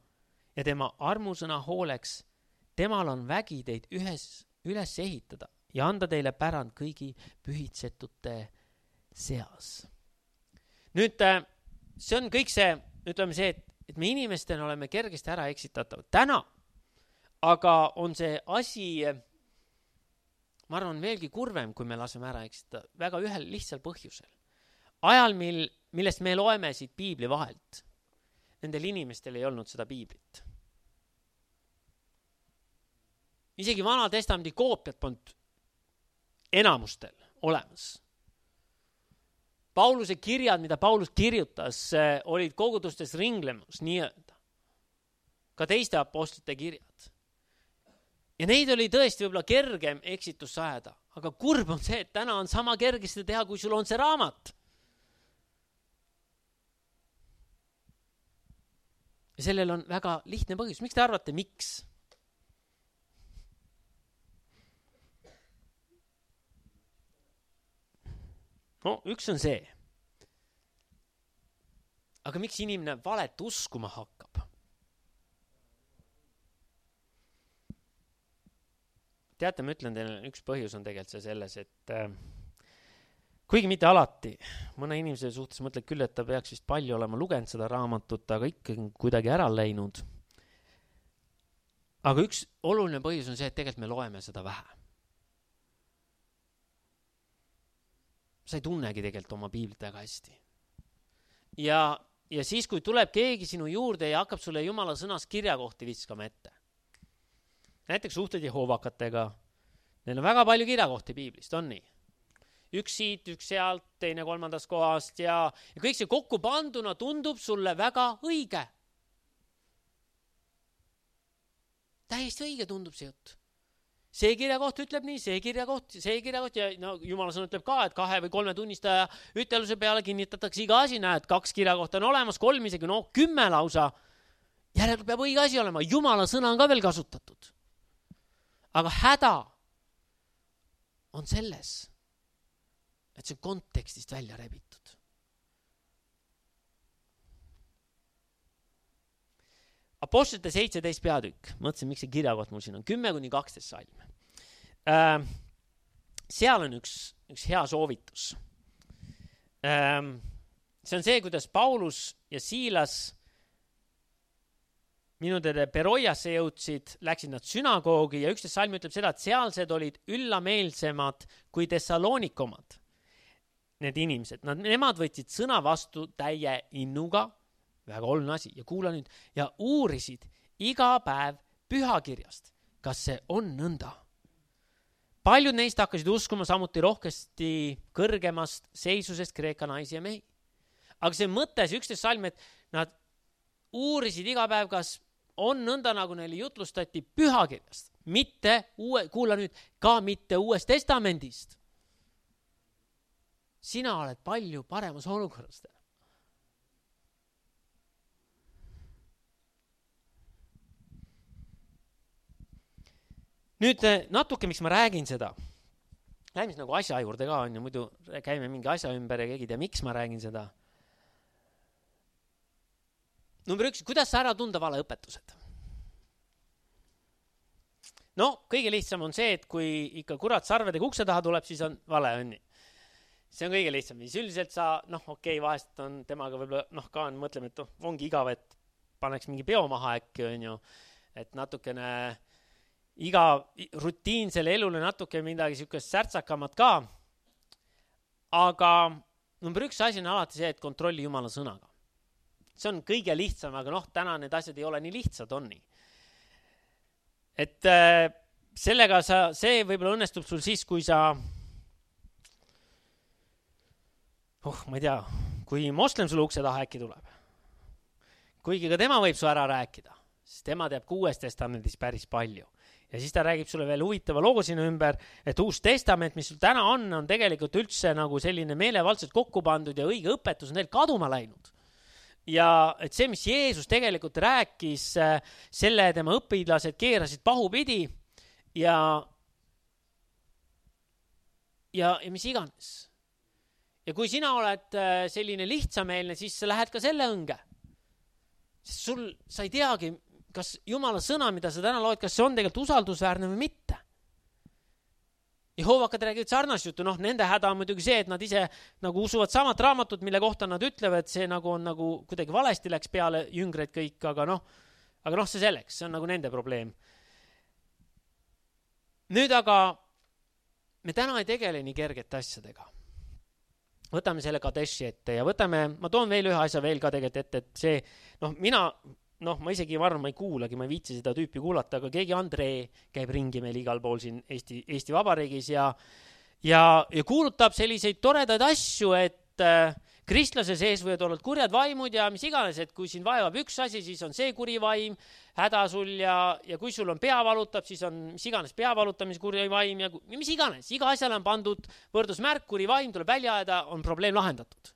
ja tema armusõna hooleks. Temal on vägi teid ühes, üles ehitada ja anda teile pärand kõigi pühitsetute seas. Nüüd see on kõik see, ütleme see, et, et me inimestena oleme kergesti ära eksitatavad. Täna aga on see asi, ma arvan, veelgi kurvem, kui me laseme ära eksitada, väga ühel lihtsal põhjusel. Ajal, mil, millest me loeme siit piibli vahelt, nendel inimestel ei olnud seda piiblit. Isegi Vana Testamendi koopiat polnud enamustel olemas. Pauluse kirjad, mida Paulus kirjutas, olid kogudustes ringlemus, nii-öelda. Ka teiste apostlite kirjad. Ja neid oli tõesti võib-olla kergem eksitus sajada, aga kurb on see, et täna on sama kergesti teha, kui sul on see raamat. Ja sellel on väga lihtne põhjus. Miks te arvate, miks? No, üks on see. Aga miks inimene valet uskuma hakkab? Teate, ma ütlen teile, üks põhjus on tegelikult see selles, et äh, kuigi mitte alati, mõne inimese suhtes mõtled küll, et ta peaks vist palju olema lugenud seda raamatut, aga ikkagi kuidagi ära läinud. Aga üks oluline põhjus on see, et tegelikult me loeme seda vähe. Sa ei tunnegi tegelikult oma piiblit väga hästi. Ja, ja siis, kui tuleb keegi sinu juurde ja hakkab sulle Jumala sõnas kirjakohti viskama ette. Näiteks suhted Jehoovakatega. Neil on väga palju kirjakohti piiblist, on nii? Üks siit, üks sealt, teine kolmandast kohast ja, ja kõik see kokku panduna tundub sulle väga õige. Täiesti õige tundub see jutt. See kirjakoht ütleb nii, see kirjakoht, see kirjakoht ja no, Jumala sõna ütleb ka, et kahe või kolme tunnistaja üteluse peale kinnitatakse iga asi, näed, kaks kirjakohta on olemas, kolm isegi, no kümme lausa. Järelikult peab õige asi olema, Jumala sõna on ka veel kasutatud. Aga häda on selles, et see on kontekstist välja rebitud. Apostlite seitseteist peatükk, mõtlesin, miks see kirjakoht mul siin on, kümme kuni kaksteist salm. Äh, seal on üks, üks hea soovitus. Äh, see on see, kuidas Paulus ja Siilas minu teada Beroiasse jõudsid, läksid nad sünagoogi ja üksteist salm ütleb seda, et sealsed olid üllameelsemad kui Thessalonikomad. Need inimesed, nad, nemad võtsid sõna vastu täie innuga, väga oluline asi, ja kuula nüüd, ja uurisid iga päev pühakirjast, kas see on nõnda. Paljud neist hakkasid uskuma samuti rohkesti kõrgemast seisusest Kreeka naisi ja mehi. Aga see mõte, see üksteist salm, et nad uurisid iga päev, kas, on nõnda, nagu neile jutlustati pühakirjast, mitte uue, kuula nüüd, ka mitte uuest testamendist. Sina oled palju paremas olukorras. Nüüd natuke, miks ma räägin seda. Lähme nagu asja juurde ka on ja muidu käime mingi asja ümber ja keegi tea, miks ma räägin seda. Number üks, kuidas sa ära tunda valeõpetused? No, kõige lihtsam on see, et kui ikka kurat sarvedega ukse taha tuleb, siis on vale õnni. See on kõige lihtsam. Siis üldiselt sa, noh, okei, okay, vahest on temaga võib-olla, noh, ka on, mõtleme, et oh, ongi igav, et paneks mingi peo maha äkki, on ju, et natukene iga rutiinsele elule natuke midagi sihukest särtsakamat ka. Aga number üks asi on alati see, et kontrolli Jumala sõnaga. See on kõige lihtsam, aga noh, täna need asjad ei ole nii lihtsad, on nii. Et äh, sellega sa, see võib-olla õnnestub sul siis, kui sa, oh, ma ei tea, kui moslem sulle ukse taha äkki tuleb. Kuigi ka tema võib su ära rääkida, sest tema teab kuues testamendis päris palju. Ja siis ta räägib sulle veel huvitava loo sinu ümber, et uus testament, mis sul täna on, on tegelikult üldse nagu selline meelevaldselt kokku pandud ja õige õpetus on neil kaduma läinud. Ja et see, mis Jeesus tegelikult rääkis, selle tema õpilased keerasid pahupidi ja, ja, ja mis iganes. Ja kui sina oled selline lihtsameelne, siis sa lähed ka selle õnge. Sest sul, sa ei teagi, kas Jumala sõna, mida sa täna loed, kas see on tegelikult usaldusväärne või mitte. Jehoovakad räägivad sarnast juttu, noh, nende häda on muidugi see, et nad ise nagu usuvad samat raamatut, mille kohta nad ütlevad, see nagu on nagu kuidagi valesti läks peale jüngreid kõik, aga noh, aga noh, see selleks, see on nagu nende probleem. Nüüd aga me täna ei tegele nii kergete asjadega. Võtame selle Kadeshi ette ja võtame, ma toon veel ühe asja veel ka tegelikult ette, et see, noh, mina... noh, ma isegi varem ma ei kuulagi, ma ei viitsi seda tüüpi kuulata, aga keegi Andrei käib ringi meil igal pool siin Eesti, Eesti Vabariigis ja, ja, ja kuulutab selliseid toredaid asju, et äh, kristlase sees võivad olla kurjad vaimud ja mis iganes, et kui siin vaevab üks asi, siis on see kuri vaim, häda sul ja, ja kui sul on pea valutab, siis on mis iganes pea valutamise kuri vaim ja, ja mis iganes. Iga asjale on pandud võrdusmärk, kuri vaim tuleb välja ajada, on probleem lahendatud.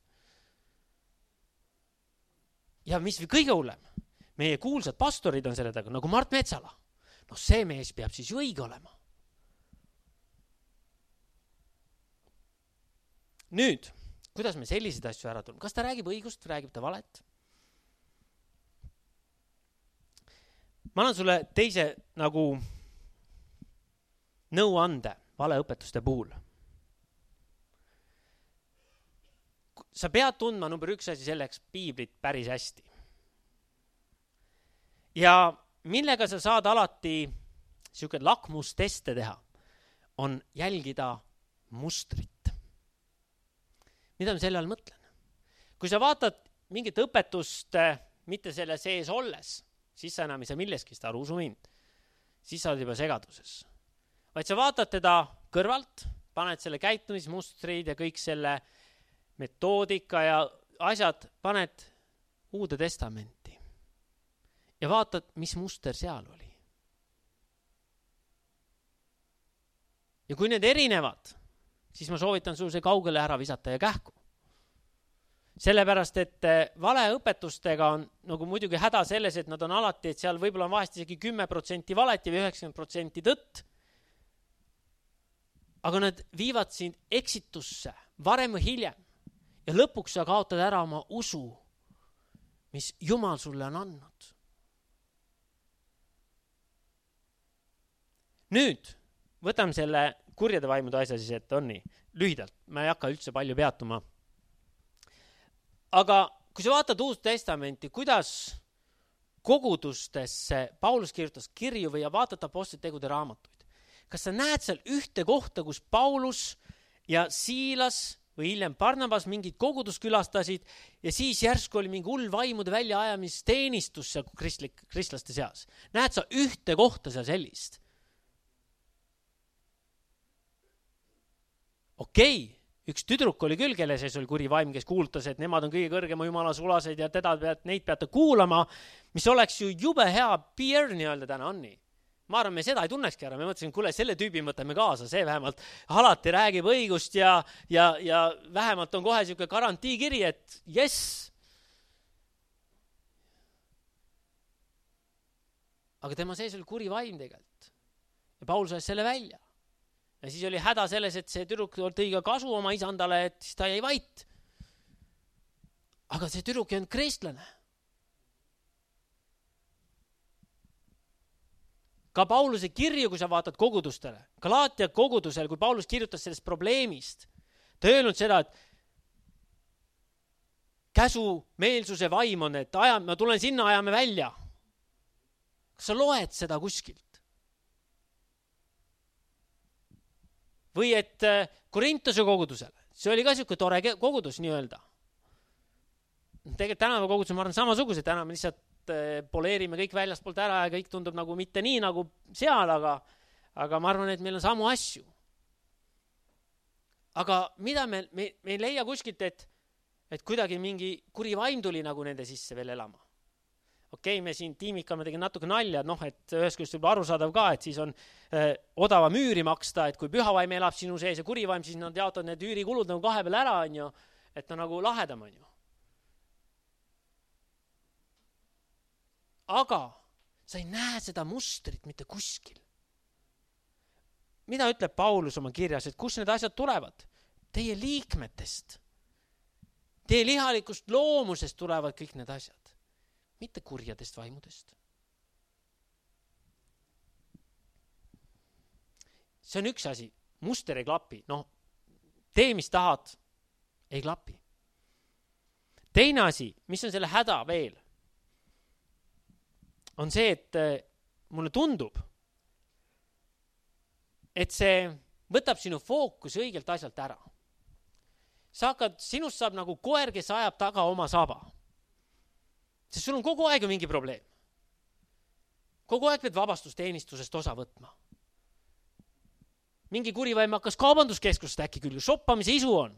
Ja mis või kõige hullem? Meie kuulsad pastorid on selle taga, nagu Mart Metsala. No see mees peab siis ju õige olema. Nüüd, kuidas me selliseid asju ära tuleme? Kas ta räägib õigust, räägib ta valet? Ma annan sulle teise nagu nõuande valeõpetuste puhul. Sa pead tundma number üks asi selleks piiblit päris hästi. Ja millega sa saad alati siuke lakmusteste teha, on jälgida mustrit. Mida ma selle all mõtlen? Kui sa vaatad mingit õpetust mitte selle sees olles, siis sa enam ei saa milleski seda aru, usu mind. Siis sa oled juba segaduses. Vaid sa vaatad teda kõrvalt, paned selle käitumismustrid ja kõik selle metoodika ja asjad, paned Uude Testamenti. Ja vaatad, mis muster seal oli. Ja kui need erinevad, siis ma soovitan sul see kaugele ära visata ja kähku. Sellepärast, et valeõpetustega on nagu muidugi häda selles, et nad on alati, et seal võib-olla on vahest isegi kümme protsenti valeti või üheksakümmend protsenti tõtt. Aga nad viivad sind eksitusse varem või hiljem. Ja lõpuks sa kaotad ära oma usu, mis Jumal sulle on andnud. Nüüd võtame selle kurjade vaimude asja siis, et on nii lühidalt. Ma ei hakka üldse palju peatuma. Aga kui sa vaatad Uut Testamenti, kuidas kogudustesse Paulus kirjutas kirju või vaatad Apostlite tegude raamatuid, kas sa näed seal ühte kohta, kus Paulus ja Siilas või hiljem Barnabas mingid kogudust külastasid ja siis järsku oli mingi hull vaimude väljaajamisteenistus seal kristlik, kristlaste seas? Näed sa ühte kohta seal sellist? Okei, üks tüdruk oli küll, kelle sees oli kuri vaim, kes kuulutas, et nemad on kõige kõrgema jumala sulased ja teda pead, neid peate kuulama, mis oleks ju jube hea peer nii-öelda täna on nii. Ma arvan, me seda ei tunnekski ära. Me mõtlesin, kuule, selle tüübi mõtleme kaasa, see vähemalt alati räägib õigust ja, ja, ja vähemalt on kohe siuke garantiikiri, et yes. Aga tema sees oli kuri vaim tegelikult. Ja Paul sai selle välja. Ja siis oli häda selles, et see tüdruk tõi ka kasu oma isandale, et siis ta jäi vait. Aga see tüdruk ei olnud kristlane. Ka Pauluse kirju, kui sa vaatad kogudustele, Galaatia kogudusele, kui Paulus kirjutas sellest probleemist, ta ei öelnud seda, et käsu meelsuse vaim on, et aja, ma tulen sinna, ajame välja. Kas sa loed seda kuskilt? Või et Korintuse kogudusele, see oli ka siuke tore kogudus nii-öelda. Tegelikult tänava kogudus, ma arvan, samasugused, täna me lihtsalt poleerime kõik väljast poolt ära ja kõik tundub nagu mitte nii nagu seal, aga, aga ma arvan, et meil on samu asju. Aga mida me, me, me ei leia kuskilt, et, et kuidagi mingi kuri vaim tuli nagu nende sisse veel elama. Okei, me siin tiimikame tegin natuke nalja, noh, et ühest küljest võib arusaadav ka, et siis on äh, odava müüri maksta, et kui pühavaim elab sinu sees ja kurivaim, siis nad jaotavad need üürikulud nagu kahe peal ära, on ju, et on nagu lahedam, on ju. Aga sa ei näe seda mustrit mitte kuskil. Mida ütleb Paulus oma kirjas, et kus need asjad tulevad? Teie liikmetest. Teie lihalikust loomusest tulevad kõik need asjad. Mitte kurjadest vaimudest. See on üks asi. Muster ei klapi. Noh, tee, mis tahad, ei klapi. Teine asi, mis on selle häda veel, on see, et mulle tundub, et see võtab sinu fookus õigelt asjalt ära. Sa hakkad, sinust saab nagu koer, kes ajab taga oma saba. Sest sul on kogu aeg mingi probleem. Kogu aeg pead vabastusteenistusest osa võtma. Mingi kurivaim hakkas kaubanduskeskusest äkki küll, shoppamise isu on.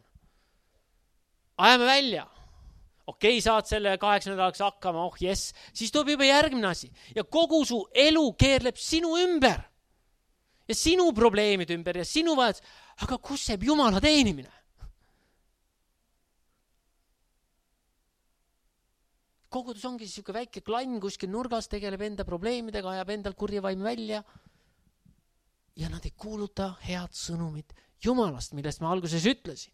Ajame välja. Okei, saad selle kaheksa nädalaks hakkama, oh yes, siis tuleb juba järgmine asi. Ja kogu su elu keerleb sinu ümber. Ja sinu probleemid ümber ja sinu vajad. Aga kus jääb Jumala teenimine? Kogudus ongi siuke väike klann kuskil nurgas, tegeleb enda probleemidega, ajab endal kurjavaim välja. Ja nad ei kuuluta head sõnumit Jumalast, millest ma alguses ütlesin.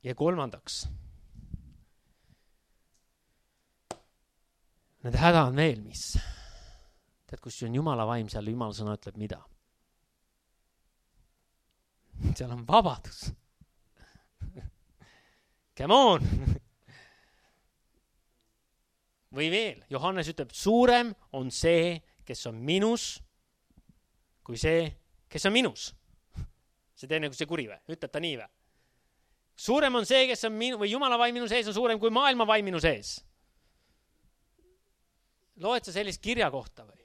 Ja kolmandaks, need häda on veel, mis? Tead, kus on Jumala vaim, seal Jumala sõna ütleb mida? Seal on vabadus. Come on! Või veel, Johannes ütleb, suurem on see, kes on minus, kui see, kes on minus. See teine kui see kuri või? Ütleb ta nii või? Suurem on see, kes on minu, või Jumala vaim minu sees on suurem kui maailma vaim minu sees. Loed sa sellist kirja kohta või?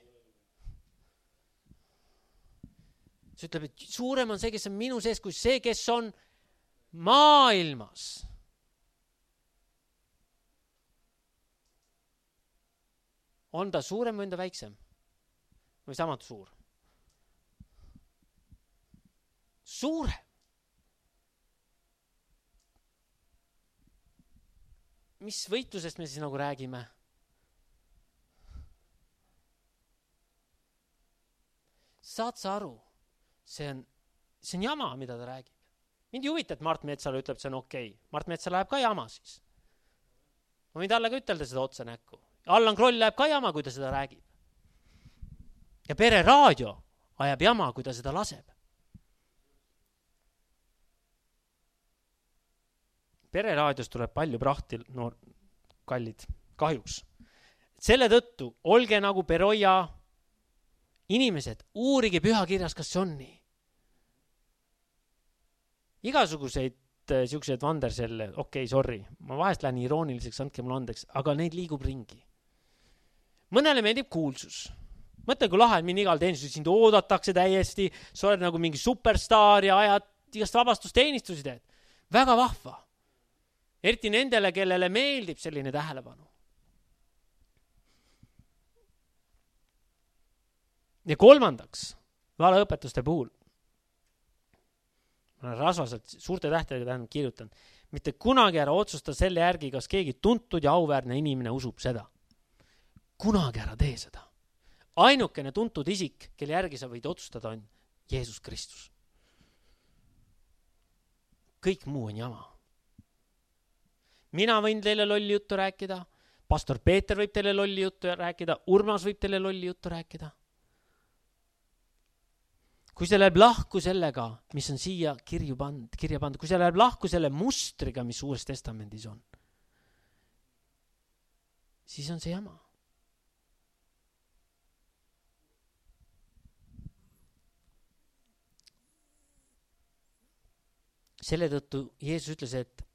See ütleb, et suurem on see, kes on minu sees, kui see, kes on maailmas. On ta suurem või on ta väiksem? Või samalt suur? Suurem. Mis võitlusest me siis nagu räägime? Saad sa aru? See on, see on jama, mida ta räägib. Mind ei huvita, et Mart Metsala ütleb, see on okei. Okay. Mart Metsala läheb ka jama siis. Ma võin talle ka ütelda seda otsa näkku. Allan Kroll läheb ka jama, kui ta seda räägib. Ja Pere Raadio ajab jama, kui ta seda laseb. Pere Raadios tuleb palju prahti, no kallid, kahjuks. Selle tõttu olge nagu Peroja inimesed, uurige pühakirjas, kas see on nii. Igasuguseid siuksed vanderselle, okei, okay, sorry, ma vahest lähen irooniliseks, andke mulle andeks, aga neid liigub ringi. Mõnele meeldib kuulsus. mõtle, kui lahe, et mind igal teenistusel sind oodatakse täiesti, sa oled nagu mingi superstaar ja ajad igast vabastusteenistusi teed. Väga vahva. Eriti nendele, kellele meeldib selline tähelepanu. Ja kolmandaks, valeõpetuste puhul. Ma olen rasvaselt suurte tähtedega tähendab kirjutan. Mitte kunagi ära otsusta selle järgi, kas keegi tuntud ja auväärne inimene usub seda. Kunagi ära tee seda. Ainukene tuntud isik, kelle järgi sa võid otsustada, on Jeesus Kristus. Kõik muu on jama. Mina võin teile lolli juttu rääkida, pastor Peeter võib teile lolli juttu rääkida, Urmas võib teile lolli juttu rääkida. Kui see läheb lahku sellega, mis on siia kirju pand, kirja pandud, kui see läheb lahku selle mustriga, mis Uues Testamendis on, siis on see jama. Selle tõttu Jeesus ütles, et,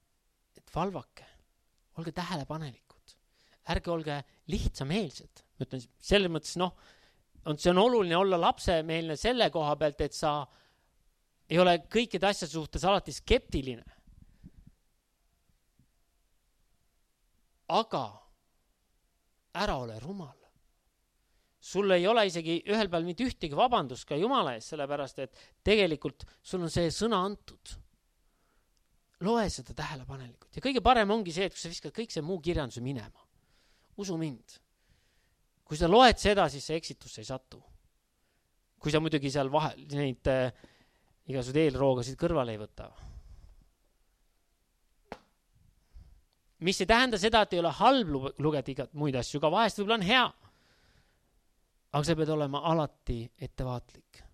et valvake, olge tähelepanelikud, ärge olge lihtsameelsed. Ma ütlen, selles mõttes, noh, on, see on oluline olla lapsemeelne selle koha pealt, et sa ei ole kõikide asjade suhtes alati skeptiline. Aga ära ole rumal. Sul ei ole isegi ühel peal mitte ühtegi vabandust ka Jumala ees, sellepärast, et tegelikult sul on see sõna antud. Loe seda tähelepanelikult. Ja kõige parem ongi see, et kui sa viskad kõik see muu kirjanduse minema. Usu mind. Kui sa loed seda, siis see eksitusse ei satu. Kui sa muidugi seal vahel neid äh, igasugused eelroogasid kõrvale ei võta. Mis ei tähenda seda, et ei ole halb lugeda igat muid asju, ka vahest võib-olla on hea. Aga sa pead olema alati ettevaatlik.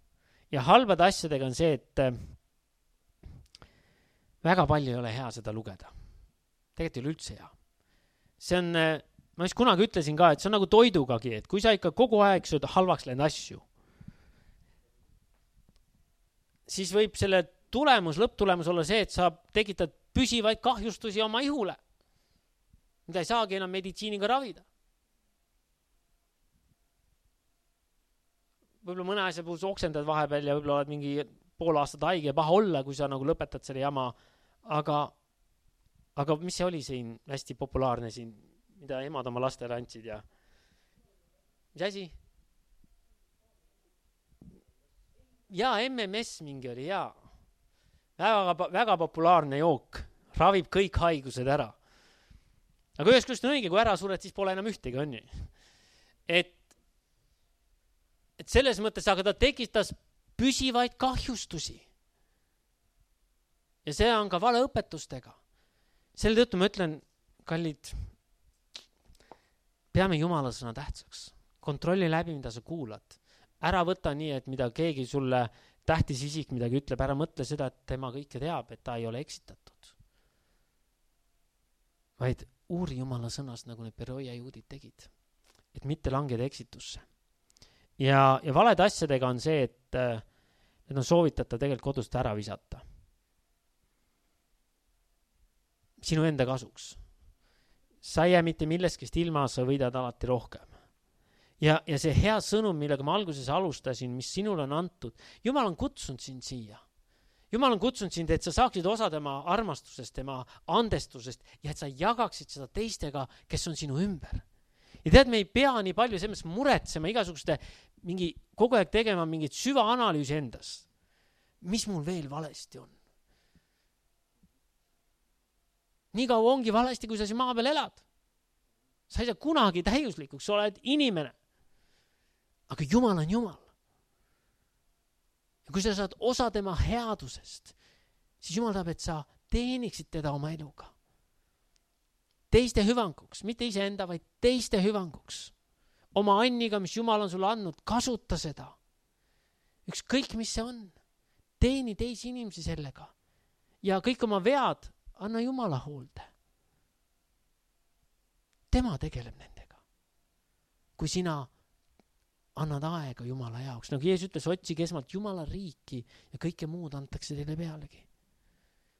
Ja halbade asjadega on see, et äh, väga palju ei ole hea seda lugeda. Tegelikult ei ole üldse hea. See on... Äh, Ma just kunagi ütlesin ka, et see on nagu toidugagi, et kui sa ikka kogu aeg sööd halvaks läinud asju, siis võib selle tulemus, lõpptulemus olla see, et sa tekitad püsivaid kahjustusi oma ihule, mida ei saagi enam meditsiiniga ravida. Võib-olla mõne asja puhul oksendad vahepeal ja võib-olla oled mingi pool aastat haige ja paha olla, kui sa nagu lõpetad selle jama, aga, aga mis see oli siin hästi populaarne siin, mida emad oma lastele andsid ja mis asi? Ja M M S mingi oli, ja väga, väga populaarne jook, ravib kõik haigused ära. Aga ühest küljest on õige, kui ära sured, siis pole enam ühtegi, on ju. Et, et selles mõttes, aga ta tekitas püsivaid kahjustusi. Ja see on ka valeõpetustega. Selle tõttu ma ütlen, kallid, peame Jumala sõna tähtsaks. Kontrolli läbi, mida sa kuulad. Ära võta nii, et mida keegi sulle tähtis isik midagi ütleb, ära mõtle seda, et tema kõike teab, et ta ei ole eksitatud. Vaid uuri Jumala sõnast, nagu need Beroia juudid tegid, et mitte langeda eksitusse. Ja, ja valede asjadega on see, et need on soovitatav tegelikult kodust ära visata. Sinu enda kasuks. Sa ei jää mitte milleskest ilma, sa võidad alati rohkem. Ja, ja see hea sõnum, millega ma alguses alustasin, mis sinul on antud, Jumal on kutsunud sind siia. Jumal on kutsunud sind, et sa saaksid osa tema armastusest, tema andestusest ja et sa jagaksid seda teistega, kes on sinu ümber. Ja tead, me ei pea nii palju selles muretsema igasuguste mingi, kogu aeg tegema mingit süvaanalüüsi endas. Mis mul veel valesti on? Nii kaua ongi valesti, kui sa siin maa peal elad. Sa ei saa kunagi täiuslikuks, sa oled inimene. Aga Jumal on Jumal. Ja kui sa saad osa tema headusest, siis Jumal tahab, et sa teeniksid teda oma eluga. Teiste hüvanguks, mitte iseenda, vaid teiste hüvanguks. Oma anniga, mis Jumal on sulle andnud, kasuta seda. Ükskõik, mis see on. Teeni teisi inimesi sellega. Ja kõik oma vead anna Jumala hoolde. Tema tegeleb nendega. Kui sina annad aega Jumala jaoks, nagu Jeesus ütles, otsige esmalt Jumala riiki ja kõike muud antakse teile pealegi.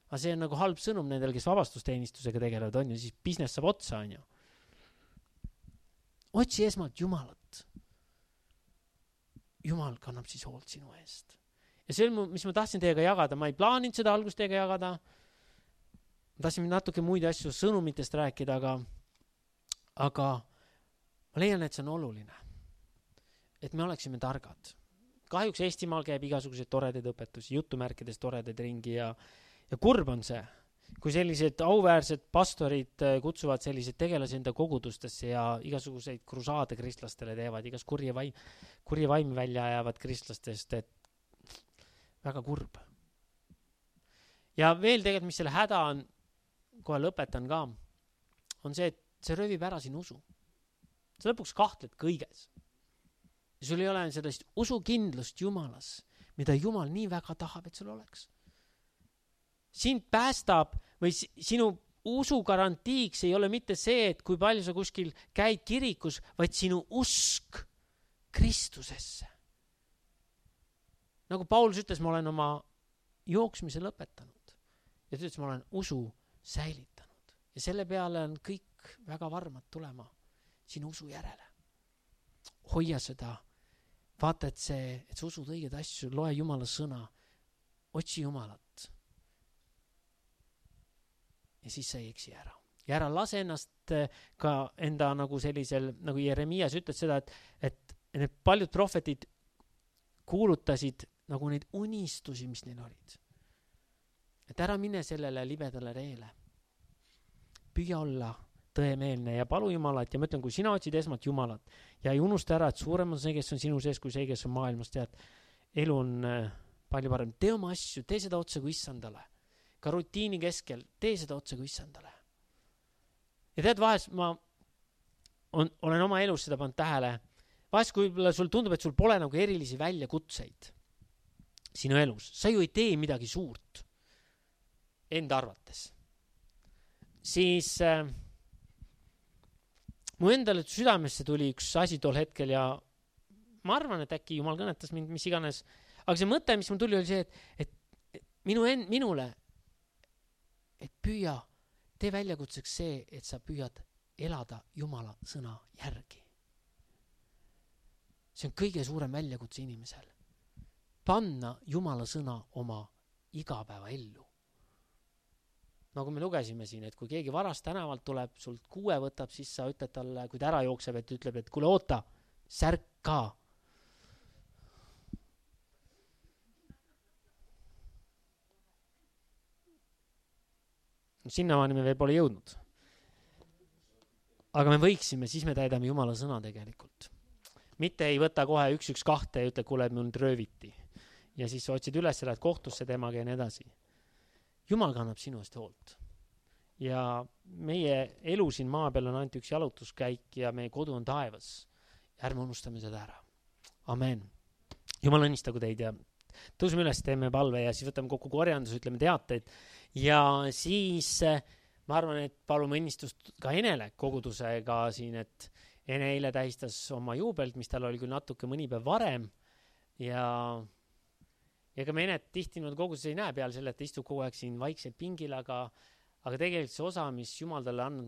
Aga see on nagu halb sõnum nendel, kes vabastusteenistusega tegelevad, on ju, siis business saab otsa, on ju. Otsi esmalt Jumalat. Jumal kannab siis hoolt sinu eest. Ja see, mis ma tahtsin teiega jagada, ma ei plaaninud seda algust teiega jagada. Ma tahtsin natuke muid asju sõnumitest rääkida, aga, aga ma leian, et see on oluline. Et me oleksime targad. Kahjuks Eestimaal käib igasuguseid toredaid õpetusi, jutumärkides toredaid ringi ja, ja kurb on see, kui sellised auväärsed pastorid kutsuvad sellised tegelasi enda kogudustesse ja igasuguseid krusaade kristlastele teevad, igas kurje vaim, kurje vaimi välja ajavad kristlastest, et väga kurb. Ja veel tegelikult, mis selle häda on, kohe lõpetan ka, on see, et see rövib ära siin usu. Sa lõpuks kahtled kõiges. Ja sul ei ole sellist usukindlust Jumalas, mida Jumal nii väga tahab, et sul oleks. Sind päästab või sinu usu garantiiks ei ole mitte see, et kui palju sa kuskil käid kirikus, vaid sinu usk Kristusesse. Nagu Paulus ütles, ma olen oma jooksmise lõpetanud. Ja ta ütles, ma olen usu säilitanud. Ja selle peale on kõik väga varmad tulema sinu usu järele. Hoia seda. Vaata, et see, et sa usud õiged asju, loe Jumala sõna, otsi Jumalat. Ja siis sa ei eksi ära. Ja ära lase ennast ka enda nagu sellisel, nagu Jeremias ütles seda, et, et need paljud prohvetid kuulutasid nagu neid unistusi, mis neil olid. Et ära mine sellele libedale reele. Püüa olla tõemeelne ja palu Jumalat ja ma ütlen, kui sina otsid esmalt Jumalat ja ei unusta ära, et suurem on see, kes on sinu sees, kui see, kes on maailmas, tead, elu on palju parem. Tee oma asju, tee seda otse kui issandale. Ka rutiini keskel, tee seda otse kui issandale. Ja tead, vahest ma on, olen oma elus seda pannud tähele. Vahest, kui sul tundub, et sul pole nagu erilisi väljakutseid sinu elus, sa ju ei tee midagi suurt enda arvates. Siis äh, mu endale südamesse tuli üks asi tol hetkel ja ma arvan, et äkki Jumal kõnetas mind, mis iganes. Aga see mõte, mis mul tuli, oli see, et, et minu en, minule, et püüa, tee väljakutseks see, et sa püüad elada Jumala sõna järgi. See on kõige suurem väljakutse inimesel. Panna Jumala sõna oma igapäeva ellu. Nagu me lugesime siin, et kui keegi varast tänavalt tuleb, sult kuue võtab, siis sa ütled talle, kui ta ära jookseb, et ütleb, et kuule oota, särka. Sinnamaani me veel pole jõudnud. Aga me võiksime, siis me täidame Jumala sõna tegelikult. Mitte ei võta kohe üks, üks, kahte ja ütle, kuule, et mul rööviti. Ja siis otsid üles, lähed kohtusse temaga ja nii edasi. Jumal kannab sinu eest hoolt. Ja meie elu siin maa peal on ainult üks jalutuskäik ja meie kodu on taevas. Ärme unustame seda ära. Amen. Jumal õnnistagu teid ja tõusime üles, teeme palve ja siis võtame kokku korjandus, ütleme teateid. Ja siis ma arvan, et palume õnnistust ka Enele kogudusega siin, et Ene eile tähistas oma juubelt, mis tal oli küll natuke mõni päev varem ja Ja ka me Enet tihti nüüd koguses ei näe peal selle, et ta istub kogu aeg siin vaikselt pingil, aga, aga tegelikult see osa, mis Jumal talle andnud